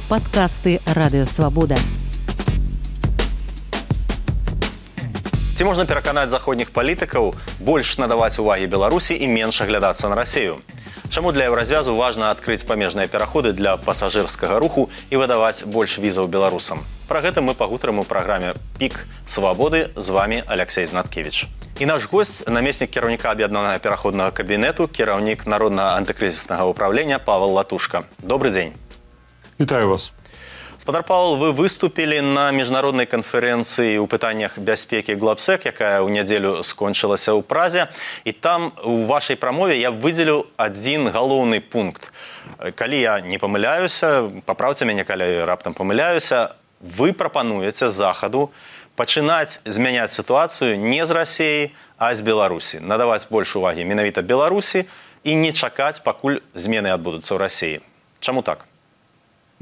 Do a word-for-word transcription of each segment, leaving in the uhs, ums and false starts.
Падкасты Радыёвабода. Ці можна пераканаць заходніх палітыкаў больш надаваць увагі Беларусі і менш аглядацца на Расію? Чаму для еўразвязу важна адкрыць памежныя пераходы для пасажырскага руху і выдаваць больш візаў беларусам? Пра гэта мы пагутарым у праграме «Пік Свабоды». З вами Алексей Знаткевич. І наш госць, намеснік кіраўніка аб'яднанага пераходнага кабінету, кіраўнік Народнага антыкрызіснага ўправлення Павел Латушка. Добрый дзень. Вітаю вас. Спадар Павел, вы выступілі на міжнароднай канферэнцыі ў пытаннях бяспекі Глобсек, якая ў нядзелю скончылася ў Празе. І там у вашай прамове я выдзелю адзін галоўны пункт. Калі я не памыляюся, папраўце мяне, калі раптам памыляюся, вы прапануеце захаду пачынаць змяняць сітуацыю не з Расіі, а з Беларусі. Надаваць больш увагі менавіта Беларусі і не чакаць, пакуль змены адбудуцца ў Расіі. Чаму так?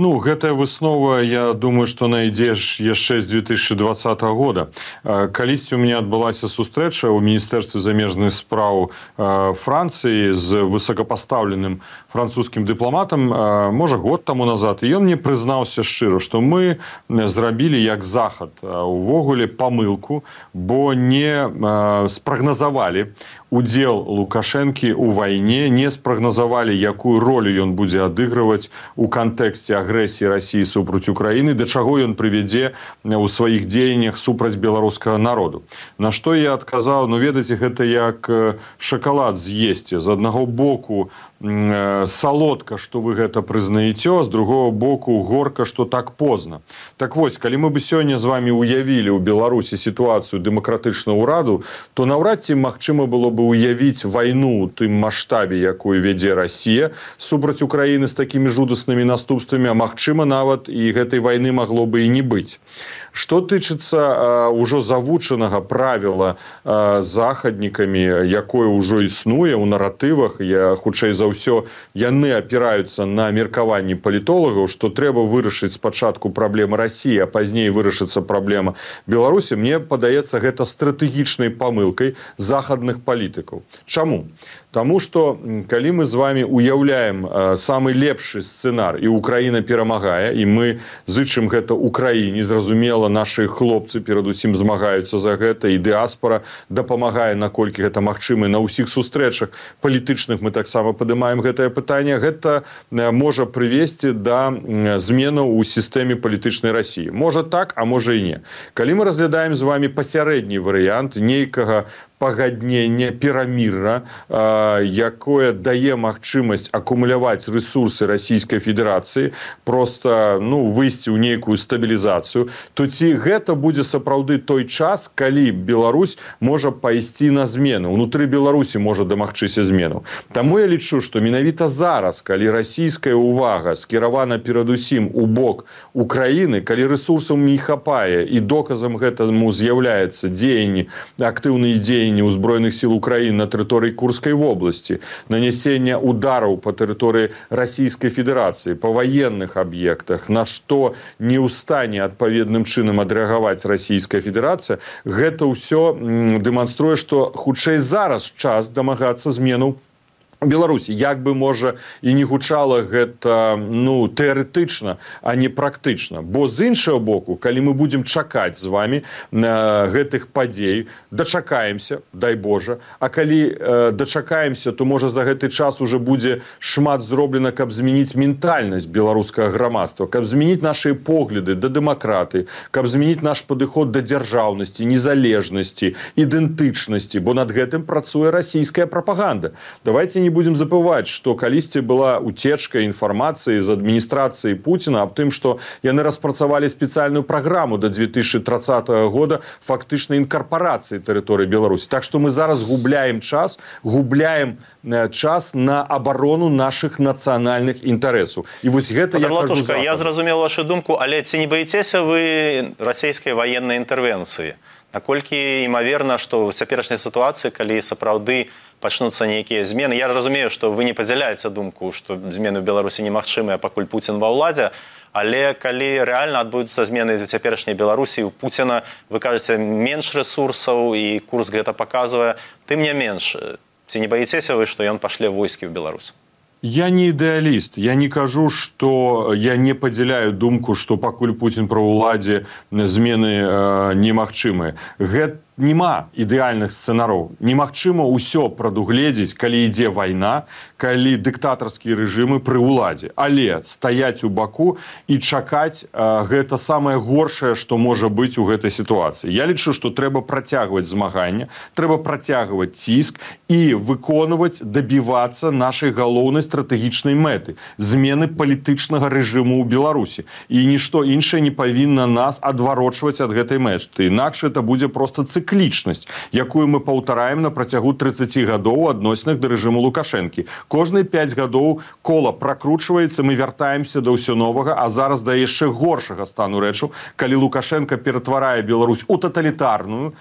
Ну, гэтая выснова, я думаю, што найдзе яшчэ з две тысячи двадцатого года. Калісьці у меня адбылася сустрэча ў Міністэрстве замежных спраў Францыі з высокапастаўленым французскім дыпламатам, можа, год таму назад. І ён мне прызнаўся шчыра, што мы зрабілі як захад увогуле памылку, бо не спрагназавалі удзел Лукашэнкі ў вайне, не спрагназавалі, якую ролю ён будзе адыгрываць у кантэксце агрэсіі Расіі супраць Украіны, да чаго ён прывядзе ў сваіх дзеяннях супраць беларускага народу. На што я адказаў, ну ведаеце, гэта як шакалад з'есці. З аднаго боку салодка, што вы гэта прызнаеце, з другого боку горка, што так позна. Так вось, калі мы бы сёння з вами уявілі ў Беларусі сітуацыю дэмакратычнага ўраду, то наўрад ці магчыма было бы уявіць вайну ў тым маштабе, якую вядзе Расія супраць Украіны з такімі жудаснымі наступствамі, а магчыма нават і гэтай вайны магло бы і не быць. Што тычыцца ўжо завучанага правіла а, захаднікамі, якое ўжо існуе ў наратывах, я хутчэй за ўсё яны апіраюцца на меркаванні палітолагаў, што трэба вырашыць спачатку праблемы Расіі, а пазней вырашыцца праблема Беларусі, мне падаецца гэта стратэгічнай памылкай захадных палітыкаў. Чаму? Таму што калі мы з вами уяўляем а, самы лепшы сцэнар і Украіна перамагае, і мы зычым гэта Украіне, зразумела, нашы хлопцы перадусім змагаюцца за гэта, і дыаспара дапамагае, наколькі гэта магчыма, на ўсіх сустрэчах палітычных мы таксама падымаем гэтае пытанне, гэта можа прывесці да зменаў у сістэме палітычнай Расіі. Можа так, а можа і не. Калі мы разглядаем з вами пасярэдні варыянт нейкага пагаднення, перамірра, якое дае магчымасць акумуляваць рэсурсы Расійскай Федэрацыі, проста ну, выйсці ў нейкую стабілізацыю, то ці гэта будзе сапраўды той час, калі Беларусь можа пайсці на змены, унутры Беларусі можа дамагчыся зменаў. Таму я лічу, што менавіта зараз, калі расійская ўвага скіравана перадусім у бок Украіны, калі рэсурсаў не хапае і доказам гэтаму з'яўляецца дзеянні, актыўныя дзеянні ўзброеных сіл Украіны на тэрыторыі Курскай вобласці, нанесення удараў па тэрыторыі Расійскай Федэрацыі, па ваенных аб'ектах, на што не ў стане адпаведным чынам адрэагаваць Расійская Федэрацыя, гэта ўсё дэманструе, што хутчэй зараз час дамагацца зменаў Беларусі. Як бы, можа, і не гучала гэта ну, тэарэтычна, а не практычна. Бо з іншага боку, калі мы будзем чакаць з вами на гэтых падзей, дачакаемся, дай Божа, а калі э, дачакаемся, то, можа, за гэты час уже будзе шмат зроблена, каб змяніць ментальнасць беларускага грамадства, каб змяніць нашы погляды да дэмакраты, каб змяніць наш падыход да дзяржаўнасці, незалежнасці, ідэнтычнасці, бо над гэтым працуе расійская прапаганда. Давайте не будем забываць, што калісьці была уцечка інфармацыі з адміністрацыі Пуціна аб тым, што яны распрацавалі спецыяльную праграму да две тысячи тридцатого года фактычнай інкарпарацыі тэрыторыі Беларусі. Так што мы зараз губляем час, губляем час на абарону нашых нацыянальных інтарэсаў. І вось гэта я кажу Латушка, я зразумеў вашу думку, але ці не баіцеся вы расійскай ваеннай інтэрвенцыі? Наколькі імаверна, што ў цяперашняй сітуацыі, калі сапраўды пачнуцца нейкія змены, я разумею, што вы не падзяляеце думку, што змены ў Беларусі немагчымыя, пакуль Пуцін ва ўладзе, але калі рэальна адбудуцца змены ў цяперашняй Беларусі, у Пуціна, вы кажаце, менш рэсурсаў, і курс гэта паказвае, тым не менш, ці не баіцеся вы, што ён пашле войскі ў Беларусь? Я не ідэаліст. Я не кажу, што я не падзяляю думку, што пакуль Пуцін пры ўладзе змены э, немагчымыя. Гэта нема ідэальных сцэнараў. Немагчыма ўсё прадугледзець, калі ідзе вайна, калі дыктатарскія рэжымы пры ўладзе. Але стаяць у баку і чакаць э, гэта самае горшае, што можа быць у гэтай сітуацыі. Я лічу, што трэба працягваць змаганне, трэба працягваць ціск і выконваць, дабівацца нашай галоўнай стратэгічнай мэты змены палітычнага рэжыму ў Беларусі. І нішто іншае не павінна нас адварочваць ад гэтай мэты. Інакш это будзе проста цыклічнасць, якую мы паўтараем на працягу трыццаці гадоў у адносінах да рэжыму Лукашэнкі. Кожныя пяць гадоў кола пракручваецца, мы вяртаемся да ўсё новага, а зараз да яшчэ горшага стану рэчаў, калі Лукашенко ператварае Беларусь у таталітарную,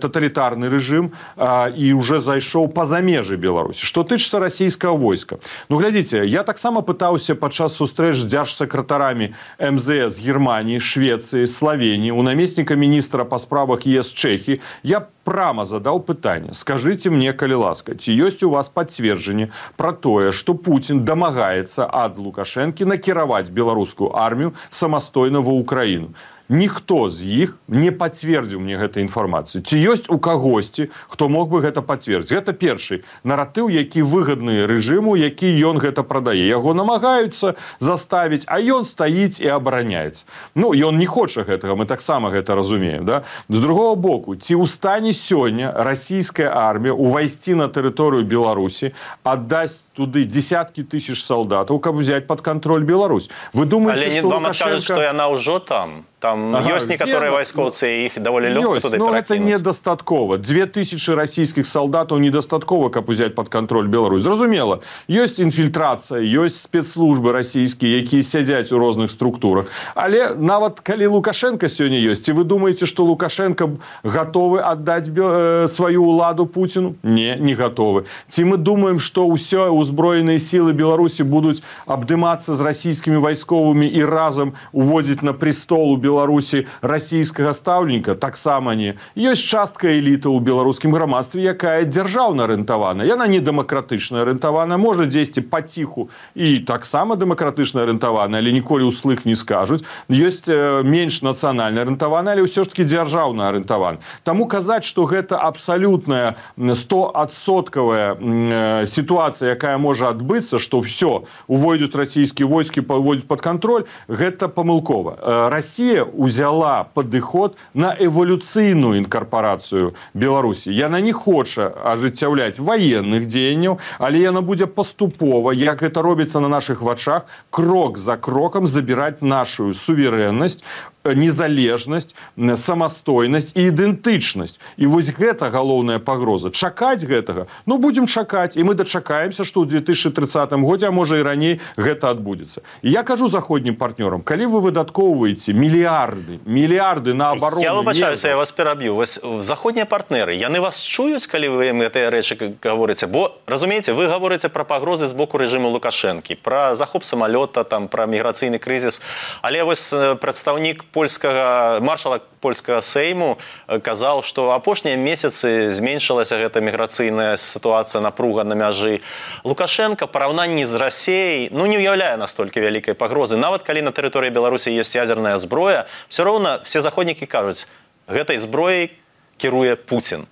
таталітарны рэжым а, і уже зайшоў па-за межы Беларусі. Што тычыцца расійскага войска. Ну, глядзіце, я таксама пытаўся падчас сустрэч з дзяржсакратарамі эм зэ эс Германії, Швецыі, Славенії, у намесніка міністра па справах ЕС Чэхіі. Я прямо задал пытанне. Скажите мне, калі ласка, ці ёсць у вас пацверджанне пра тое, што Пуцін дамагаецца ад Лукашэнкі накіраваць беларускую армію самастойна ва Ўкраіну? Ніхто з іх не пацвердзіў мне гэтай інфармацыі. Ці ёсць у кагосьці, хто мог бы гэта пацвердзіць? Гэта першы наратыў, які выгадны рэжыму, які ён гэта прадае. Яго намагаюцца заставіць, а ён стаіць і абараняецца. Ну, ён не хоча гэтага, мы таксама гэта разумеем. Да? З другого боку, ці ў стане сёння расійская армія увайсці на тэрыторыю Беларусі, аддасць туды десяткі тысяч салдатаў, каб взять под контроль Беларусь? Вы думаете, Але што вам Лукашенко... адкажуць, што яна ўжо там? Там ага, ёсць некаторыя вайскоўцы, і іх даволі лёгка туды перакінуць. Ну, гэта недастаткова. Две тысячи расійскіх салдатаў недастаткова, каб узяць пад кантроль Беларусь. Зразумела, ёсць інфільтрацыя, ёсць спецслужбы расійскія, якія сядзяць у розных структурах. Але нават калі Лукашенко сёння ёсць, ці вы думаеце, што Лукашенко гатовы аддаць э, сваю ўладу Пуціну? Не, не гатовы. Ці мы думаем, што ўсё узброеныя сілы Беларусі будуць абдымацца з расійскімі вайсковымі і разам уводзіць на престол у Беларусі расійскага стаўніка? Таксама не. Ёсць частка эліты ў беларускім грамадстве, якая дзяржаўна арыентавана. Яна не дэмакратычна арыентавана, можа дзесьці паціху і таксама дэмакратычна арыентавана, але ніколі ўслых не скажуць. Ёсць э, менш нацыянальна арыентавана, але ўсё ж таки дзяржаўна арыентавана. Таму казаць, што гэта абсалютная стоадсоткавая э, сітуацыя, якая можа адбыцца, што ўсё, увойдуць расійскія войскі, паводзяць пад кантроль, гэта памылкова. Э, Расія узяла падыход на эволюцыйную інкарпарацыю Беларусі. Яна не хоча ажыццяўляць ваенных дзеянняў, але яна будзе паступова, як гэта робіцца на нашых вачах, крок за крокам забіраць нашу суверэннасць, незалежнасць, самастойнасць і ідэнтычнасць. І вось гэта галоўная пагроза. Чакаць гэтага? Ну, будзем чакаць, і мы дачакаемся, што ў две тысячи тридцатым годзе, а можа і раней, гэта адбудзецца. І я кажу заходнім партнёрам, калі вы выдаткоўваеце мільярды, мільярды на абарону... Я выбачаюся, я вас пераб'ю. Вось заходнія партнеры, яны вас чуюць, калі вы ім гэтыя рэчы гаворыце? Бо, разумееце, вы гаворыце пра пагрозы з боку рэжыму Лукашэнкі, пра захоп самалёта, там, пра міграцыйны крызіс, але вось прадстаўнік польскага, маршала польскага сейму казаў, што апошнія месяцы зменшылася гэта міграцыйная сітуацыя, напруга на мяжы. Лукашенко параўнанні з Расіяй, ну, не ўяўляе настолькі вялікай пагрозы. Нават калі на тэрыторыі Беларусі ёсць ядзерная зброя, все роўна все заходнікі кажуць, гэтай зброяй кіруе Пуцін.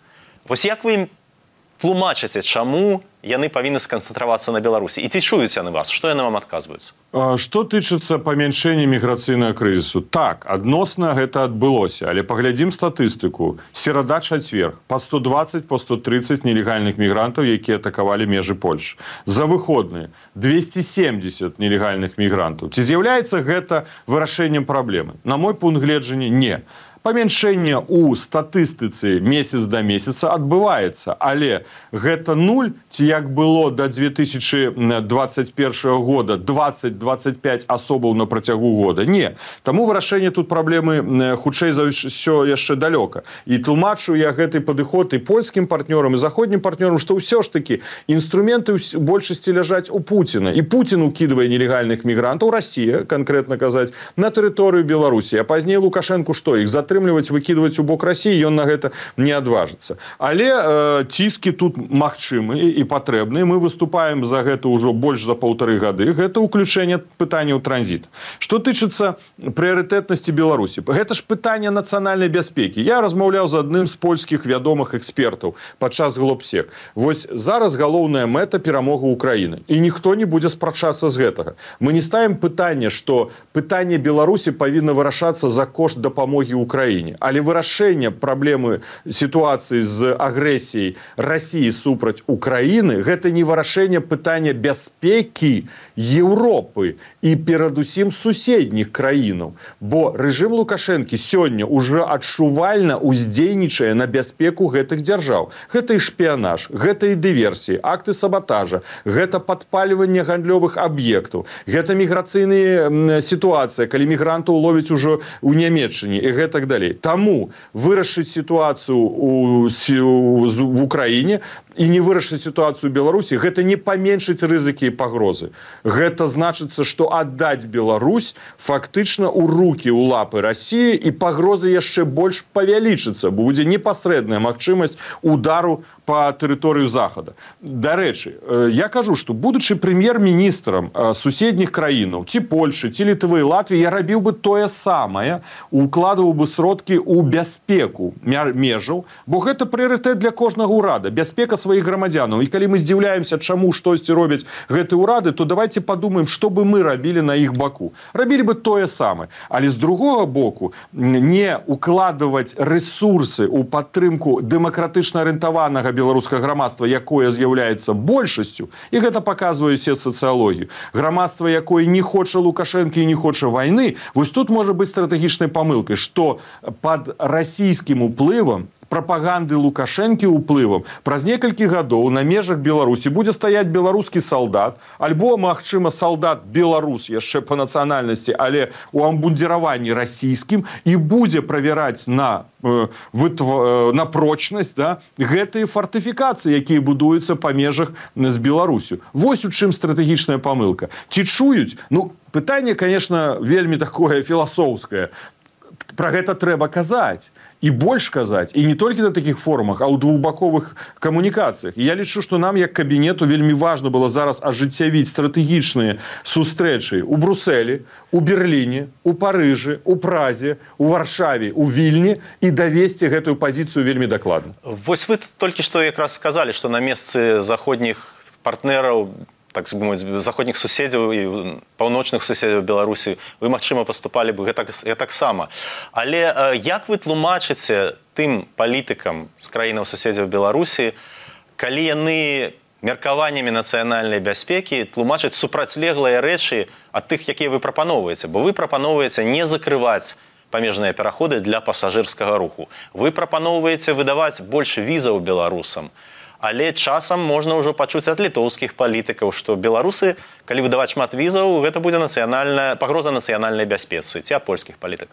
Вось як вы ім тлумачыце, чаму яны павінны сканцэнтравацца на Беларусі? І ці чуюць яны вас? Што яны вам адказваюць? Што тычыцца памяншэння міграцыйнага крызісу? Так, адносна гэта адбылося, але паглядзім статыстыку. Серада-чацверг, па сто дваццаць, па сто трыццаць нелегальных мігрантаў, якія атакавалі межы Польшы. За выходныя двести семьдесят нелегальных мігрантаў. Ці з'яўляецца гэта вырашэннем праблемы? На мой пункт гледжання, не. Памяншэнне ў статыстыцы месяц да месяца адбываецца, але гэта нуль, ці як было да две тысячи двадцать першага года двадцать двадцать пять асобаў на працягу года. Не. Таму вырашэнне тут праблемы хутчэй за ўсё яшчэ далёка. І тлумачу я гэты падыход і польскім партнёрам, і заходнім партнёрам, што ўсё ж такі інструменты ў большасці ляжаць у Пуціна. І Пуцін укідвае нелегальных мігрантаў, Расія, канкрэтна казаць, на тэрыторыю Беларусі. А пазней Лукашенку што, іх затрымаць падтрымліваць, выкідваць у бок Расіі, ён на гэта не адважыцца. Але э, ціски тут магчымыя і патрэбныя. Мы выступаем за гэта ўжо больш за паўтары гады. Гэта ўключэнне пытанняў транзіту. Што тычыцца прыярытэтнасці Беларусі? Гэта ж пытанне нацыянальнай бяспекі. Я размаўляў з адным з польскіх вядомых экспертаў падчас Глобсек. Вось зараз галоўная мэта перамога Украіны. І ніхто не будзе спрачацца з гэтага. Мы не ставім пытанне, што пытанне Беларусі павінна вырашацца за кошт дапамогі Украіне. Але вырашэнне праблемы сітуацыі з агрэсіяй Расіі супраць Украіны – гэта не вырашэнне пытання бяспекі Еўропы і перадусім суседніх краінаў. Бо рэжым Лукашэнкі сёння ўжо адчувальна ўздзейнічае на бяспеку гэтых дзяржаў. Гэта і шпіянаж, гэта і дыверсіі, акты сабатажа, гэта падпальванне гандлёвых аб'ектаў, гэта міграцыйная сітуацыя, калі мігрантаў ловяць ужо ў Нямецчыне і гэтак далей. Таму вырашыць сітуацыю ў, в Украіне і не вырашыць сітуацыю ў Беларусі, гэта не паменшыць рызыкі і пагрозы. Гэта значыцца, што аддаць Беларусь фактычна ў рукі, ў лапы Расіі, і пагроза яшчэ больш павялічыцца, бо будзе непасрэдная магчымасць удару по тэрыторыю Захада. Дарэчы, я кажу, што будучы прэм'ер-міністрам суседніх краінаў, ці Польшы, ці Літвы, Латвіі, я рабіў бы тое самае, укладываў бы сродкі ў бяспеку межаў, бо гэта прыярытэт для кожнага ўрада, бяспека сваіх грамадзянаў. І калі мы здзіўляемся, чаму штосьці робяць гэтыя ўрады, то давайте падумаем, што бы мы рабілі на іх баку. Рабілі бы тое самае. Але з другога боку, не укладываць рэсурсы ў падтрымку дэмакратычна арыентаванага беларускага грамадства, якое з'яўляецца большасцю, і гэта паказвае усе сацыялогію. Грамадства, якое не хоча Лукашэнкі і не хоча вайны, вось тут можа быць стратэгічнай памылкай, што пад расійскім уплывам, прапаганды Лукашэнкі уплывам, праз некалькі гадоў на межах Беларусі будзе стаяць беларускі салдат, альбо, магчыма, салдат-беларус яшчэ па нацыянальнасці, але ў амбундзіраванні расійскім, і будзе правяраць на, э, вытв... на прочнасць, да, гэтыя фартыфікацыі, якія будуюцца па межах з Беларусю. Вось у чым стратэгічная памылка. Ці чуюць? Ну, пытанне, конечно, вельмі такое філасофскае. Пра гэта трэба казаць. І больш казаць, і не толькі на такіх форумах, а ў двухбаковых камунікацыях. І я лічу, што нам, як кабінету, вельмі важна было зараз ажыццявіць стратэгічныя сустрэчы ў Брусэлі, у Берліне, у Парыжы, у Празе, у Варшаве, у Вільні і давесці гэтую пазіцыю вельмі дакладна. Вось вы толькі што якраз сказалі, што на месцы заходніх партнераў, так сказать, заходніх суседзяў і паўночных суседзяў Беларусі, вы, магчыма, паступалі бы гэтак, гэтаксама. Але як вы тлумачыце тым палітыкам з краінаў суседзяў Беларусі, калі яны меркаваннямі нацыянальнай бяспекі тлумачаць супрацьлеглыя рэчы ад тых, якія вы прапаноўваеце? Бо вы прапаноўваеце не закрываць памежныя пераходы для пасажырскага руху. Вы прапаноўваеце выдаваць больш візаў беларусам. Але часам можна ўжо пачуць ад літоўскіх палітыкаў, што беларусы, калі выдаваць шмат візаў, гэта будзе нацыянальная пагроза нацыянальнай бяспецы, ці ад польскіх палітык.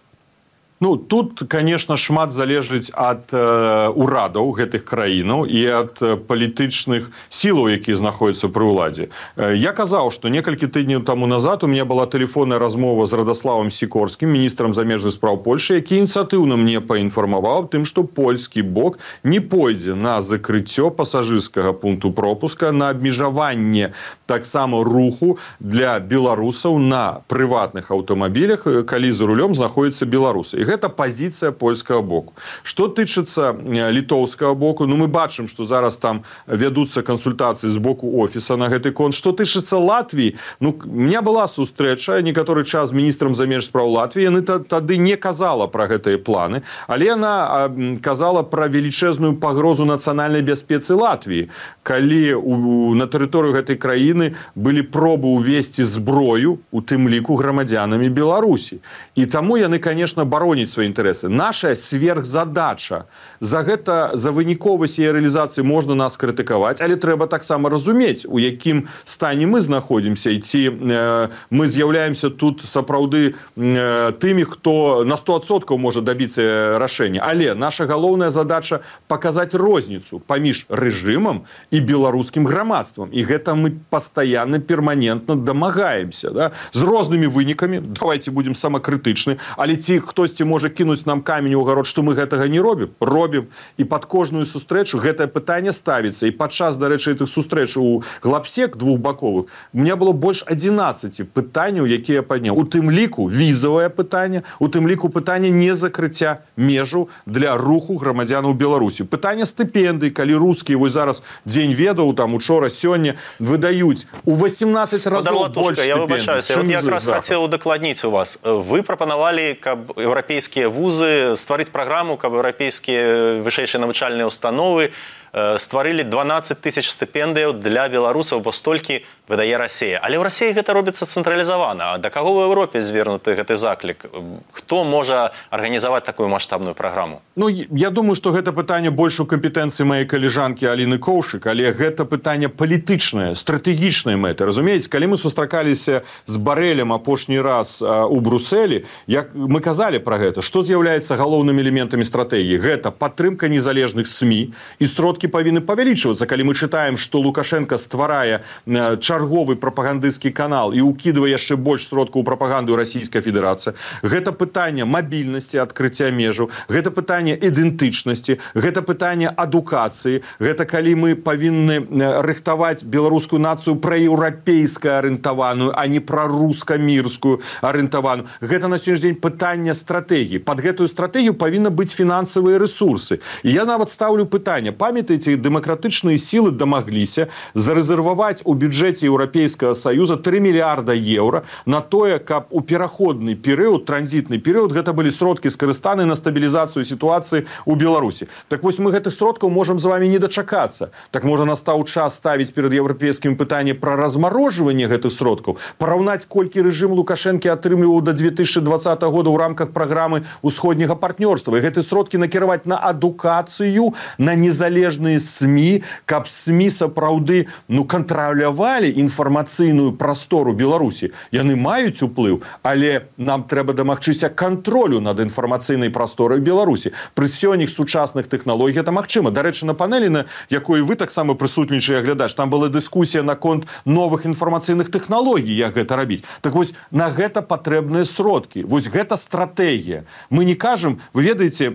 Ну, тут, конечно, шмат залежыць ад э, урадаў гэтых краінаў і ад э, палітычных сілаў, якія знаходзяцца пры ўладзе. Э, я казаў, што некалькі тыдняў таму назад у меня была тэлефонная размова з Радаславам Сікорскім, міністрам замежных спраў Польшы, які ініцыятыўна мне паінфармаваў тым, што польскі бок не пойдзе на закрыццё пасажырскага пункту пропуска, на абмежаванне таксама руху для беларусаў на прыватных аўтамабілях, калі за рулём знаходзяцца беларусы. І гэта пазіцыя польскага боку. Што тычыцца літоўскага боку, ну мы бачым, што зараз там вядуцца кансультацыі з боку офіса на гэты конт. Што тычыцца Латвіі, ну у меня была сустрэча некаторы час з міністрам замежных спраў Латвіі, яны тады не казала пра гэтыя планы, але яна казала пра велічэзную пагрозу нацыянальнай бяспецы Латвіі, калі у, на тэрыторыю гэтай краіны былі пробы ўвесці зброю, у тым ліку грамадзянамі Беларусі. І таму яны, конечно, бароняць свае інтарэсы. Наша сверхзадача. За гэта, за выніковасць яе рэалізацыі можна нас крытыкаваць, але трэба таксама разумець, у якім стане мы знаходзімся, і ці э, мы з'яўляемся тут сапраўды э, тымі, хто на сто адсоткаў можа дабіцца рашэння. Але наша галоўная задача паказаць розніцу паміж рэжымам і беларускім грамадствам. І гэта мы пастаянна, перманентна дамагаемся. Да? З рознымі вынікамі, давайте будем самакрытычны, але ці хтосьці хтосьці можа кінуць нам камень у агарод, што мы гэтага не робім, робім. І пад кожную сустрэчу гэтае пытанне ставіцца. І падчас, дарэчы, гэтых сустрэч у глапсек двухбаковых у меня было больш адзінаццаці пытанняў, якія я падняў. У тым ліку візавае пытанне, у тым ліку пытанне незакрыцця межаў для руху грамадзянаў Беларусі. Пытанне стыпендый, калі рускія вось зараз дзень ведаў, там учора, сёння выдаюць у восемнадцать разоў больш стыпендый. Я выбачаюся, вот я якраз хацеў удакладніць у вас. Вы прапанавалі, каб еўрапейскія вузы стварыць праграму, каб еўрапейскія вышэйшыя навучальныя установы стварылі дванаццаць тысяч стыпендыяў для беларусаў, бо столькі выдае Расія. Але ў Расіі гэта робіцца цэнтралізавана. А да каго ў Еўропе звернуты гэты заклік? Хто можа арганізаваць такую маштабную праграму? Ну, я думаю, што гэта пытанне больш у кампетэнцыі маёй калежанкі Аліны Коўшык, але гэта пытанне палітычнае, стратэгічнае мэты. Разумееце, калі мы сустракаліся з Барэлем апошні раз а, у Брусэлі, як мы казалі пра гэта, што з'яўляецца галоўнымі элементамі стратэгіі? Гэта падтрымка незалежных СМІ, і сродкі павінны павялічвацца. Калі мы чытаем, што Лукашенко стварае а, чарговы прапагандысцкі канал і ўкідвае яшчэ больш сродкаў у прапаганду Расійская Федэрацыя, гэта пытанне мабільнасці, адкрыцця межаў, гэта пытанне ідэнтычнасці, гэта пытанне адукацыі, гэта калі мы павінны рыхтаваць беларускую нацыю праеўрапейска арыентаваную, а не праруска-мірскую арыентаваную. Гэта на сённяшні дзень пытанне стратэгіі. Пад гэтую стратэгію павінны быць фінансавыя рэсурсы. І я нават стаўлю пытанне. Памятаеце, дэмакратычныя сілы дамагліся зарэзерваваць у бюджэце Еўрапейскага Саюза тры мільярда еўра на тое, каб у пераходны перыяд, транзітны перыяд, гэта былі сродкі скарыстаны на стабілізацыю сітуацыі у Беларусі. Так вось мы гэтых сродкаў можам з вами не дачакацца. Так можа настаў час ставіць перад еўрапейскім пытанне пра размарожванне гэтых сродкаў, параўнаць, колькі рэжым Лукашэнкі атрымліваў да две тысячы двадцатага года ў рамках праграмы ўсходняга партнёрства. І гэты сродкі накіраваць на адукацыю, на незалежныя СМІ, каб СМІ сапраўды ну, кантралявалі інфармацыйную прастору Беларусі. Яны маюць уплыў, але нам трэба дамагчыся кантролю над інфармацыйнай прасторай Беларусі. Пры сёння сучасных тэхналогій гэта магчыма. Дарэчы, на панелі, на якой вы таксама прысутнічае глядач, там была дыскусія наконт новых інфармацыйных тэхналогій, як гэта рабіць. Так вось, на гэта патрэбныя сродкі. Вось гэта стратэгія. Мы не кажам, вы ведаеце,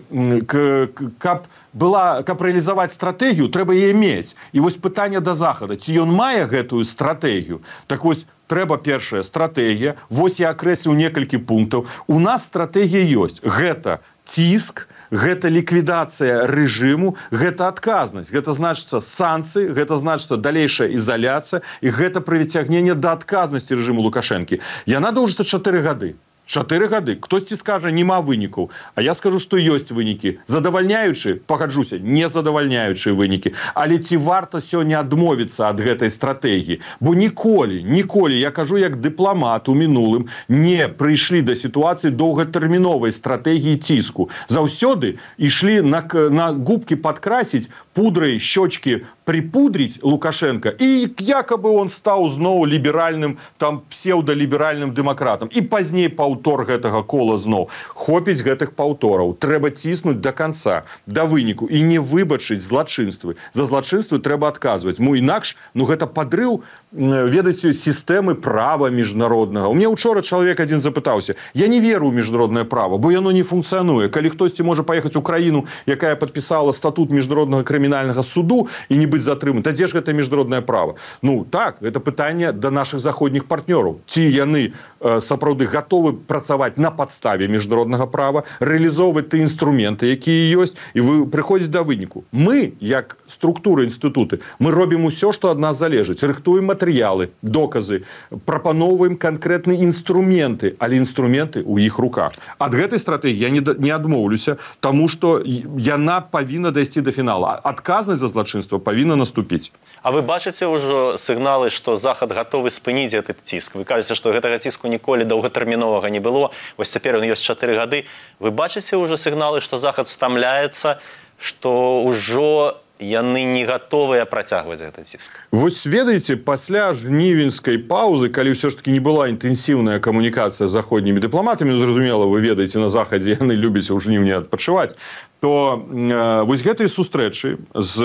каб была, каб рэалізаваць стратэгію, трэба яе мець. І вось пытанне да Захада, ці ён мае гэтую стратэгію? Так вось, трэба першая стратэгія. Вось я акрэсліў некалькі пунктаў. У нас стратэгія ёсць. Гэта ціск, гэта ліквідацыя рэжыму, гэта адказнасць. Гэта значыцца санкцыі, гэта значыцца далейшая ізаляцыя, і гэта прыцягненне да адказнасці рэжыму Лукашэнкі. Яна доўжыцца чатыры гады. Чатыры гады. Хтосьці скажа, нема вынікаў. А я скажу, што ёсць вынікі. Задавальняючы, пагаджуся, не задавальняючыя вынікі. Але ці варта сёння адмовіцца ад гэтай стратэгіі? Бо ніколі, ніколі, я кажу як дыпламат у мінулым, не прыйшлі да сітуацыі доўгатэрміновай стратэгіі ціску. Заўсёды ішлі на, на губкі падкрасіць пудрай щёчкі припудрить Лукашенко, и якобы он стал зноў либеральным, там, псевдолиберальным демократом. И позднее паўтор гэтага кола зноў. Хопіць гэтых паўтораў. Трэба ціснуць до конца, до выніку. И не выбачыць злачынствы. За злачынствы трэба адказваць. Ну, інакш, ну, гэта падрыў, ведаеце, сістэмы права міжнароднага. У меня учора чалавек адзін запытаўся. Я не веру ў міжнароднае права, бо яно не функцыянуе. Калі хтосьці можа паехаць у краіну, якая падпісала статут міжнароднага крымінальнага суду і не быць затрыманы, то дзе ж гэта міжнароднае права? Ну, так, гэта пытанне да нашых заходніх партнёраў. Ці яны э, сапраўды гатовы працаваць на падставе міжнароднага права, рэалізоўваць тыя інструменты, якія ёсць, і вы прыходзіць да выніку. Мы, як структура інстытуты, мы робім усё, што ад нас залежыць. Рыхтуем матэрыялы, доказы, прапаноўваем канкрэтныя інструменты, але інструменты ў іх руках. Ад гэтай стратэгіі я не, не адмоўлюся, таму што яна павінна дайсці да фінала. Адказнасць за злачынства павінна наступіць. А вы бачыце ўжо сігналы, што Захад гатовы спыніць гэты ціск? Вы кажаце, што гэтага ціску ніколі доўгатэрміновага не было. Вось цяпер ён ёсць чатыры гады. Вы бачыце ўжо сігналы, што Захад стамляецца, што ўжо яны не гатовыя працягваць гэты ціск? Вось ведаеце, пасля жнівеньскай паўзы, калі ўсё ж таки не была інтэнсіўная камунікацыя з заходнімі дыпламатамі, зразумела, вы ведаеце, на Захадзе яны любяць у жніўні адпачываць, то э, вось гэтыя сустрэчы з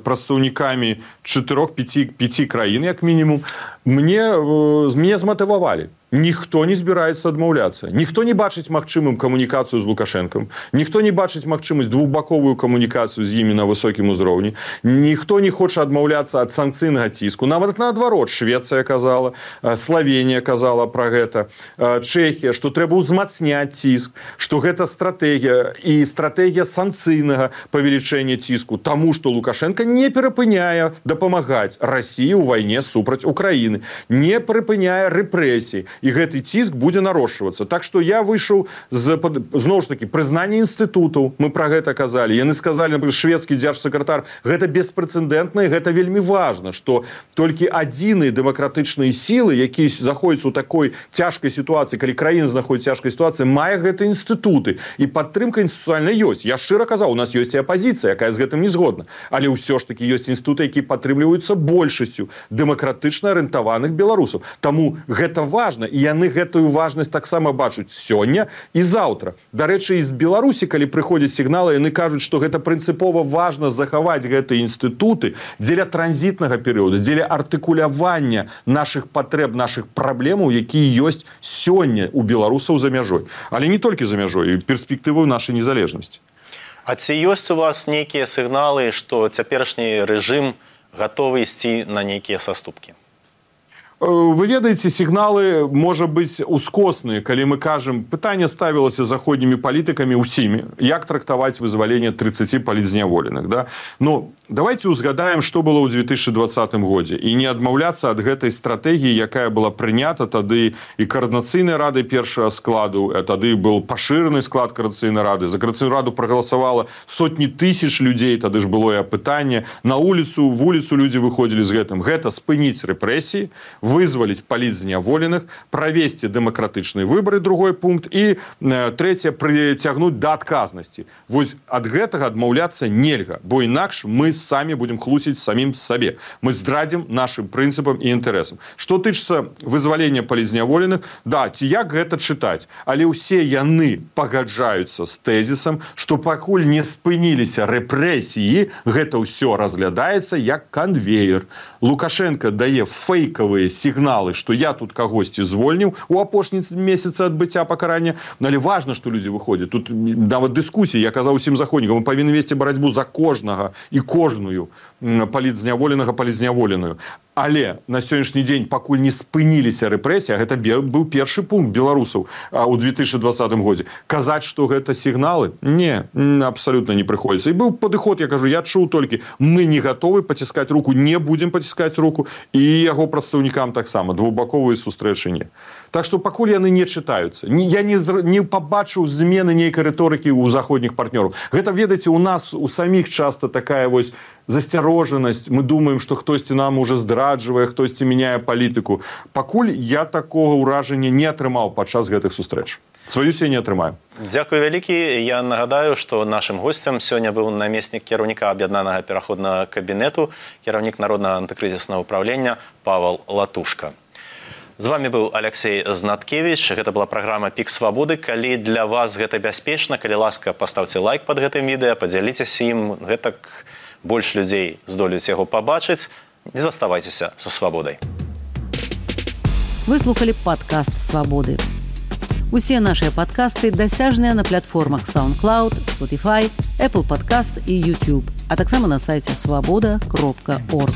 прадстаўнікамі чатырох-пяці краін, як мінімум, мне, э, мне зматывавалі. Ніхто не збіраецца адмаўляцца. Ніхто не бачыць магчымым камунікацыю з Лукашэнкам. Ніхто не бачыць магчымасць двухбаковую камунікацыю з імі на высокім узроўні. Ніхто не хоча адмаўляцца ад санкцыйнага ціску. Нават наадварот, Швецыя казала, Славенія казала пра гэта, Чэхія, што трэба ўзмацняць ціск, што гэта стратэгія і стратэгія санкцыйнага павелічэння ціску, таму што Лукашенко не перапыняе дапамагаць Расіі ў вайне супраць Украіны, не перапыняе рэпрэсій. І гэты ціск будзе нарошчвацца. Так што я выйшаў з, зноў ж такі, прызнання інстытутаў, мы пра гэта казалі. Яны сказалі, напрыклад, шведскі дзяржсакратар, гэта беспрэцэдэнтна, і гэта вельмі важна, што толькі адзіныя дэмакратычныя сілы, якія заходзяць у такой цяжкай сітуацыі, калі краіна знаходзіцца ў цяжкай сітуацыі, мае гэтыя інстытуты. І падтрымка інстытуцыйная ёсць. Я шчыра казаў, у нас ёсць і апазіцыя, якая з гэтым не згодна. Але ўсё ж такі ёсць інстытуты, якія падтрымліваюцца большасцю дэмакратычна арыентаваных беларусаў. Таму гэта важна. І яны гэтую важнасць таксама бачаць сёння і заўтра. Дарэчы, і з Беларусі, калі прыходзяць сігналы, яны кажуць, што гэта прынцыпова важна захаваць гэтыя інстытуты дзеля транзітнага перыяду, дзеля артыкулявання нашых патрэб, нашых праблемаў, якія ёсць сёння у беларусаў за мяжой. Але не толькі за мяжой, і перспектыву нашай незалежнасці. А ці ёсць у вас нейкія сігналы, што цяперашні рэжым гатовы ісці на нейкія саступкі? Вы ведаеце, сігналы, можа быць, ускосныя, калі мы кажам, пытанне ставілася заходнімі палітыкамі ўсімі, як трактаваць вызваленне трыццаці палітзняволеных. Да? Ну, давайте узгадаем, што было ў две тысячы дваццатым годзе, і не адмаўляцца ад гэтай стратэгіі, якая была прынята тады і каардынацыйнай рады першага складу, тады быў пашыраны склад каардынацыйнай рады, за каардынацыйную раду прагаласавала сотні тысяч людзей, тады ж было і апытанне, на вуліцу, вуліцу людзі выходзілі з гэтым. Гэта спыніць рэпрэсіі, вызваліць палітзняволеных, правесці дэмакратычныя выбары, другой пункт, і э, трэцяе, прыцягнуць да адказнасці. Вось ад гэтага адмаўляцца нельга, бо інакш мы самі будзем хлусіць самім сабе. Мы здрадзім нашым прынцыпам і інтарэсам. Што тычыцца вызвалення палітзняволеных, да, ці як гэта чытаць, але ўсе яны пагаджаюцца з тэзісам, што пакуль не спыніліся рэпрэсіі, гэта ўсё разглядаецца як канвеер. Лукашенко дае фейкавыя сігналы, што я тут кагосьці звольніў у апошні месяцы адбыцця пакарання. Але важна, што людзі выходзяць. Тут нават дыскусіі, я казаў усім заходнікам, мы павінны весці барацьбу за кожнага і кожную палітзняволенага, палітзняволеную. Але на сённяшні дзень, пакуль не спыніліся рэпрэсіі, а гэта быў першы пункт беларусаў у две тысячы дваццатым годзе, казаць, што гэта сігналы, не, абсалютна не прыходзіцца. І быў падыход, я кажу, я чуў толькі, мы не гатовы паціскаць руку, не будзем паціскаць руку, і яго прадстаўнікам таксама, двухбаковыя сустрэчы не. Так што пакуль яны не чытаюцца. Я не, не пабачыў змены нейкай рыторыкі ў заходніх партнёраў. Гэта, ведаеце, у нас у саміх часта такая вось засцярожанасць. Мы думаем, што хтосьці нам уже здраджвае, хтосьці мяняе палітыку. Пакуль я такога ўражання не атрымаў падчас гэтых сустрэч. Сваюсь я не атрымаю. Дзякуй вялікі. Я нагадаю, што нашым госцем сёння быў намеснік кіраўніка аб'яднанага пераходнага кабінету, кіраўнік народнага антыкрызіснага ўправлення Павал Латушка. З вами быў Алексей Знаткевич. Гэта была праграма «Пік свабоды». Калі для вас гэта бяспечна, калі ласка, паставце лайк пад гэтым відэа, падзяліцеся ім, гэтак больш людзей здолеюць яго пабачыць. Не заставайцеся са свабодай. Вы слухали падкаст «Свабоды». Усе нашыя падкасты дасяжныя на платформах SoundCloud, Spotify, Apple Podcasts і YouTube, а таксама на сайце свабода кропка орг.